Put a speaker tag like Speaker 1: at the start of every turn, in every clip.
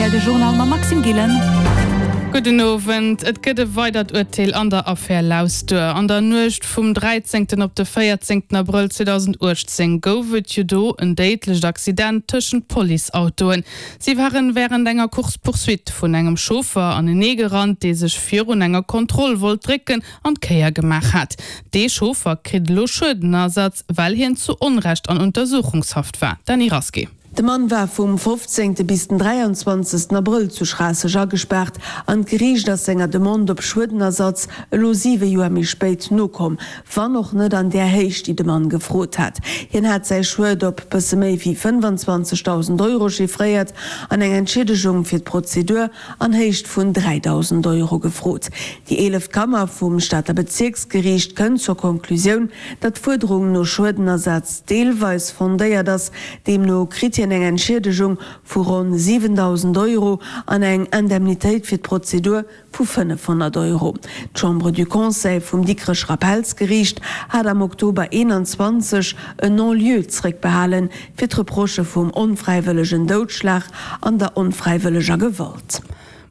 Speaker 1: rtl de Journal mam Maxime Gillen.
Speaker 2: Gudden Owend. Et gëtt e weidert Urteel an der Affär Lausduer. An der Nuecht vum 13 op de 14 Abrëll 2018 gouf et jo do en déidlecht Accident tëschent Policeautoen. Si waren wärend enger Course-poursuite vun engem Chauffer anenee gerannt, dee sech virun enger Kontroll wollt drécken an d'Kéier gemaach hat. Dee Chauffer kritt elo Schuedenersatz, well hien zu Onrecht an Untersuchungshaft war. Dany Rasqué.
Speaker 3: De Mann war vum 15. Bis den 23. Abrëll zu Schraasseg agespaart an d'Geriicht ass senger Demande op Schuedenersatz elo 7 Joer méi spéit nokomm, wann och net an där Héicht, déi de Mann gefrot hat. Hien hat säi Schued op bësse méi wéi 25.000 Euro chiffréiert an eng Entschiedegung fir d'Prozedur an Héicht vun 3.000 Euro gefrot. Déi eeleft Kammer vum Stater Bezierksgeriicht kënnt zur Konklusioun, datt d'Fuerderung no Schuedenersaz deelweis fondéiert ass. Deemno kritt hien eng Entschiedegung vu ronn 7.000 Euro an eng Indemnitéit fir d'Prozedur vu 500 Euro. D'Chambre du Conseil vum Dikrecher Appellsgeriicht hat am Oktober 21 en Non-lieu zréckbehalen, fir d'Reprochë vum onfräiwëllegen Doudschlag an der onfräiwëlleger Gewalt.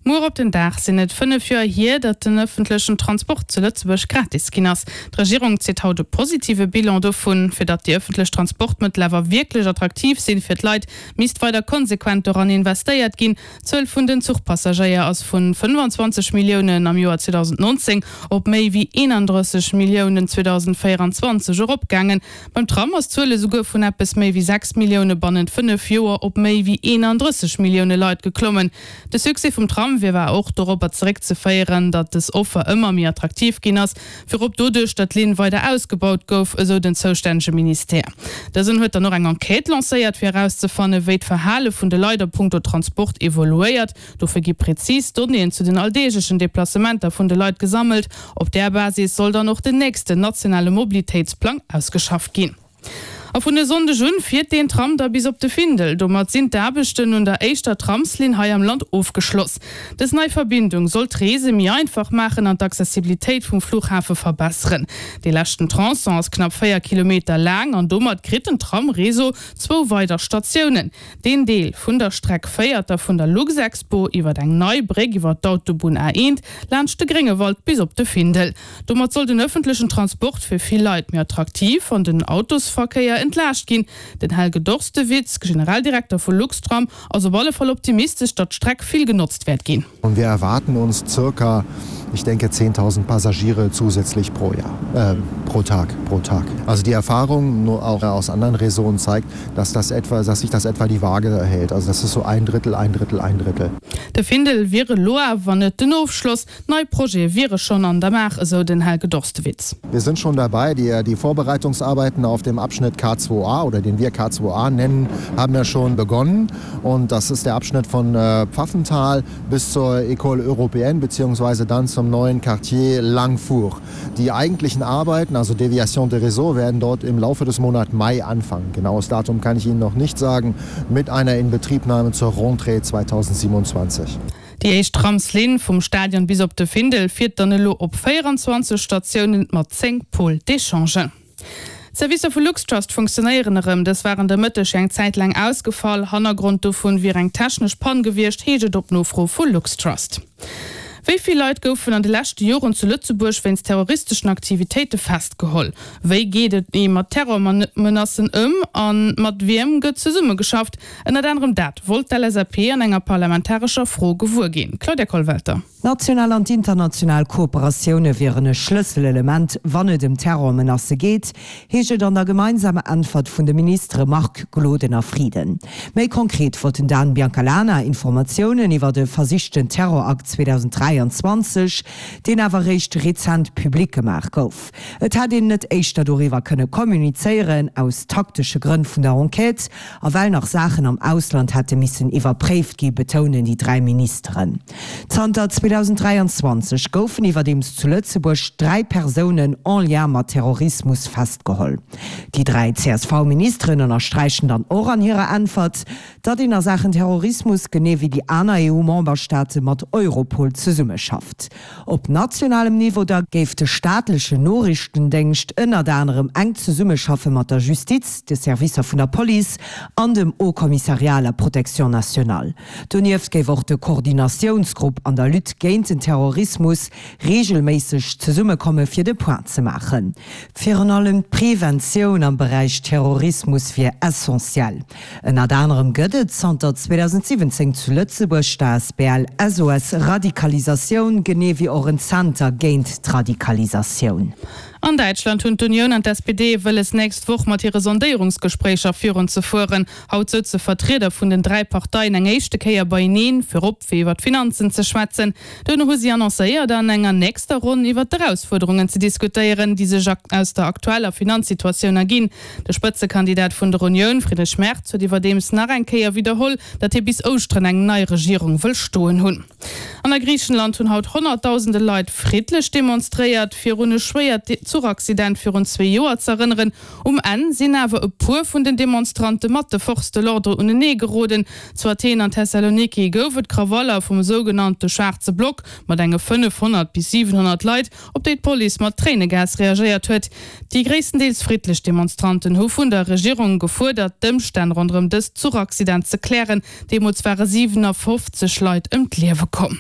Speaker 2: Muer op den Dag sinn et 5 Joer hier, datt den ëffentlechen Transport zu Lëtzebuerg gratis ginn ass. D'Regierung zitt haut e positive Bilan dovun. Fir datt déi ëffentlech Transportmëttel awer wierklech attraktiv sinn fir d'Leit, misst weider konsequent doran investéiert ginn. D'Zuel vun den Zuchpassagéier ass vun 25 Milliounen am Joer 2019 op méi wéi 31 Milliounen 2024 eropgaangen. Beim Tram ass d'Zuel esouguer vun eppes méi wéi 6 Millioune bannent 5 Joer op méi wéi 31 Millioune Leit geklommen. De Succès vum Tram wier war och dorobber zeréckzeféieren, datt dës Offer ëmmer méi attraktiv ginn ass, virop doduerch, datt d'Linn weider ausgebaut gouf, esou den zoustännege Ministère. Dësen huet dann och eng Enquête lancéiert, fir erauszefanne wéi d'Verhale vun de Leit a punkto Transport evoluéiert. Dofir gi prezis Donnéeën zu den alldeeglechen Deplacementer vun de Leit gesammelt. Op där Basis soll dann och den nächsten nationale Mobilitéitsplang ausgeschafft ginn. A vun e Sonndeg un fiert deen Tram da bis op de Findel. Domat sinn d'Aarbechten un der éischter Tramslinn hei am Land ofgeschloss. Dës nei Verbindung soll d'Reese méi einfach maachen an d'Accessibilitéit vum Fluchhafe verbesseren. Dee leschten Tronçon ass knapp 4 Kilometer laang an domat kritt den Tram-Réseau zwou weider Statiounen. Deen Deel vun der Streck féiert da vun der Luxexpo iwwer eng nei Bréck iwwer d'Autobunn A1 laanscht de Gréngewald bis op de Findel. Domat soll den ëffentlechen Transport fir vill Leit méi attraktiv an den Autosverkéier entlaascht ginn. Den Helge Dorstewitz, Generaldirekter vu Luxtram, ass op alle Fall optimistesch, datt d'Streck vill genotzt wäert ginn.
Speaker 4: Und wir erwarten uns circa, ich denke 10.000 Passagiere zusätzlich pro Jahr, äh, pro Tag, pro Tag. Also die Erfahrung nur auch aus anderen Räsonen zeigt, dass das etwa, dass sich das etwa die Waage erhält. Also das ist so ein Drittel, ein Drittel, ein Drittel.
Speaker 2: De Findel wier elo awer net den Ofschloss. Nei Projete wiere schonn an der Maach, esou den Helge Dorstewitz.
Speaker 4: Wir sind schon dabei, die, die Vorbereitungsarbeiten auf dem Abschnitt K2A oder den wir K2A nennen, haben ja schon begonnen. Und das ist der Abschnitt von äh, Pfaffenthal bis zur École Européenne beziehungsweise dann zum neuen Quartier Langfuhr. Die eigentlichen Arbeiten, also Deviation de Réseau, werden dort im Laufe des Monats Mai anfangen. Genaues Datum kann ich Ihnen noch nicht sagen, mit einer Inbetriebnahme zur Rentrée 2027.
Speaker 2: Déi éischt Tramslinn vum Stadion bis op de Findel fiert dann elo op 24 Statiounen mat 10 Pôles d'échange. D'Servicer vu LuxTrust funktionéieren erëm. Dës waren de Mëtteg eng Zäit laang ausgefall. Hannergrond dovun wier eng technesch Pann gewiescht, heescht et op Nofro vu LuxTrust. Wéi vill Leit goufen an de leschte Joren zu Lëtzebuerg wéinst terroristeschen Aktivitéite festgeholl? Wéi geet et ee mat Terrormenacen ëm a mat wiem gëtt zesummegeschafft? Ënnert anerem dat wollt d'LSAP an enger parlamentarescher Fro gewuer ginn. Claudia Kollwelter.
Speaker 5: D'national an d'international Kooperatioune wieren e Schlësselelement, wann et ëm Terrormenacë geet, heescht et an der gemeinsamer Äntwert vun de Ministere Marc Gloden a Frieden. Méi konkret wollt den Dan Biancalana Informatiounen iwwert e versichten Terrorakt 2023, deen awer eréischt rezent public gemaach gouf. Et hätt een net éischter doriwwer kënne kommunizéieren, aus taktesche Grënn vun der Enquête, A well nach Saachen am Ausland hätte missen iwwerpréift gi, betounen déi 3 Ministeren. Zanter 2023 goufen iwwerdeems zu Lëtzebuerg 3 Persounen en lien mat Terrorismus festgeholl. Déi 3 CSV-Ministeren ënnersträichen dann och an hirer Äntwert, datt een a Saachen Terrorismus genee wéi déi aner EU-Memberstaate mat Europol zesummeschafft. zesummeschafft. Op nationalem Niveau da géif de staatlechen Noriichtendéngscht ënnert anerem enk zesummeschaffe mat der Justiz, de Servicer vun der Police an dem Haut Commissariat à la protection nationale. Donieft géif och de Koordinatiounsgrupp an der Lutte géint den Terrorismus reegelméisseg zesummekomme fir de Point ze maachen. Virun allem d'Preventioun am Beräich Terrorismus wier essentiell. Ënnert anerem gëtt et zanter 2017 zu Lëtzebuerg d'ASBL SOS Radikalisatioun, genee wéi och en Zenter géint d'Radikalisatioun.
Speaker 2: An Däitschland hunn d'Unioun an d'SPD wëlles nächst Woch mat hire Sondéierungsgespréicher virun ze fueren. Haut souze Vertrieder vun den 3 Parteien eng éischte Kéier beieneen, virop fir iwwer d'Finanzen ze schwätzen. Duerno hu si annoncéiert, an enger nächster Ronn iwwer d'Erausfuerderungen ze diskutéieren, déi sech aus der aktueller Finanzsituatioun erginn. De Spëtzekandidat vun der Unioun, Friedrich Merz, huet iwwerdeems nach eng Kéier widderholl, datt hie bis Ouschteren eng nei Regierung wëll stoen hunn. An a Griichenland hunn haut honnertdausende Leit friddlech demonstréiert, fir un e schwéiert Zuchaccident virun zwee Joer z'erënneren. Um Enn sinn awer e puer vun den Demonstrante mat de Forces de l'ordre unenee geroden. Zu Athen an Thessaloniki gouf et Krawaller vum sougenannte schwaarze Block mat enge 500 bis 700 Leit, op déi d'Police mat Tréinegas reagéiert huet. Déi gréisstendeels friddlech Demonstranten hu vun der Regierung gefuerdert, d'Ëmstänn ronderëm dëst Zuchaccident ze klären. Deemools ware 57 Leit ëm d'Liewe komm.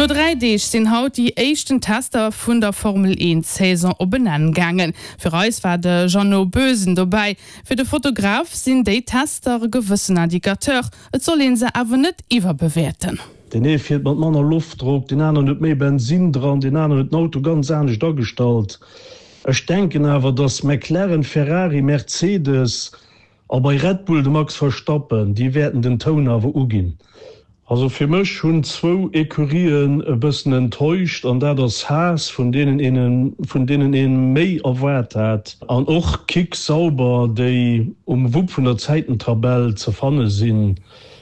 Speaker 2: No 3 Deeg sinn haut déi éischten Tester vun der Formel 1 Saison op en Enn gaangen. Fir eis war de Jeannot Boesen dobäi. Fir de Fotograf sinn déi Tester e gewëssen Indicateur, et soll een se awer net iwwerbewäerten.
Speaker 1: Deen ee fiert mat manner Loftdrock, deen aneren huet méi Bensinn dran, deen aneren huet den Auto ganz anescht agestallt. Ech denken awer, datt McLaren, Ferrari, Mercedes a bei Red Bull de Max Verstappen, déi wäerten den Toun awer uginn. Also fir mech hunn zwou Ecurien e bëssen enttäuscht an dat ass Haas, vun deenen een vun deenen ee méi erwaart hat, an och Kick Sauber, déi um Wupp vun der Zäitentabell ze fanne sinn.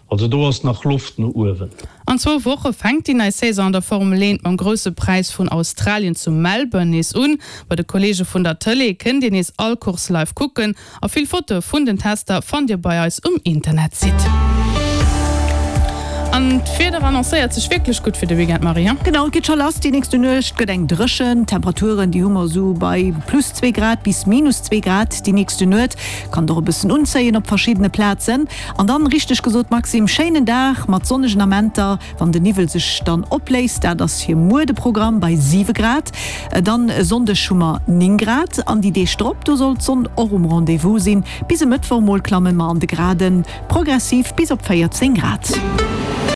Speaker 1: Also do ass nach Loft no uewen.
Speaker 2: An zwou Woche fänkt déi nei Saison an der Formel 1 mam Grousse Präis vun Australien zu Melbourne nees un. Bei de Kolleege vun der Tëlee kënnt Dir nees all Course live kucken a vill Fotoe vun den Tester fannt Dir bei eis um Internetsite. An d'Wieder annoncéiert sech wierklech gutt fir de Weekend, Marie, he?
Speaker 6: Genau, et geet scho lass. Déi nächste Nuecht gëtt eng dréchen. D'Temperaturen, déi hu mer esou bei plus zwee Grad bis minus zwee Grad déi nächste Nuet. Kann et och e bëssen unzéien op verschiddene Plazen. An dann, richteg gesot Maxime, schéinen Dag mat sonnegen Amenter, wann de Niwwel sech dann opléist. Dat ass fir muer de Programm bei 7 Grad. Dann e Sonndeg hu mer 9 Grad an déi Deeg drop, do soll d'Sonn och um Rendez-vous sinn. Bis e Mëttwoch mol klamme mer an de Graden progressiv bis op 14 Grad.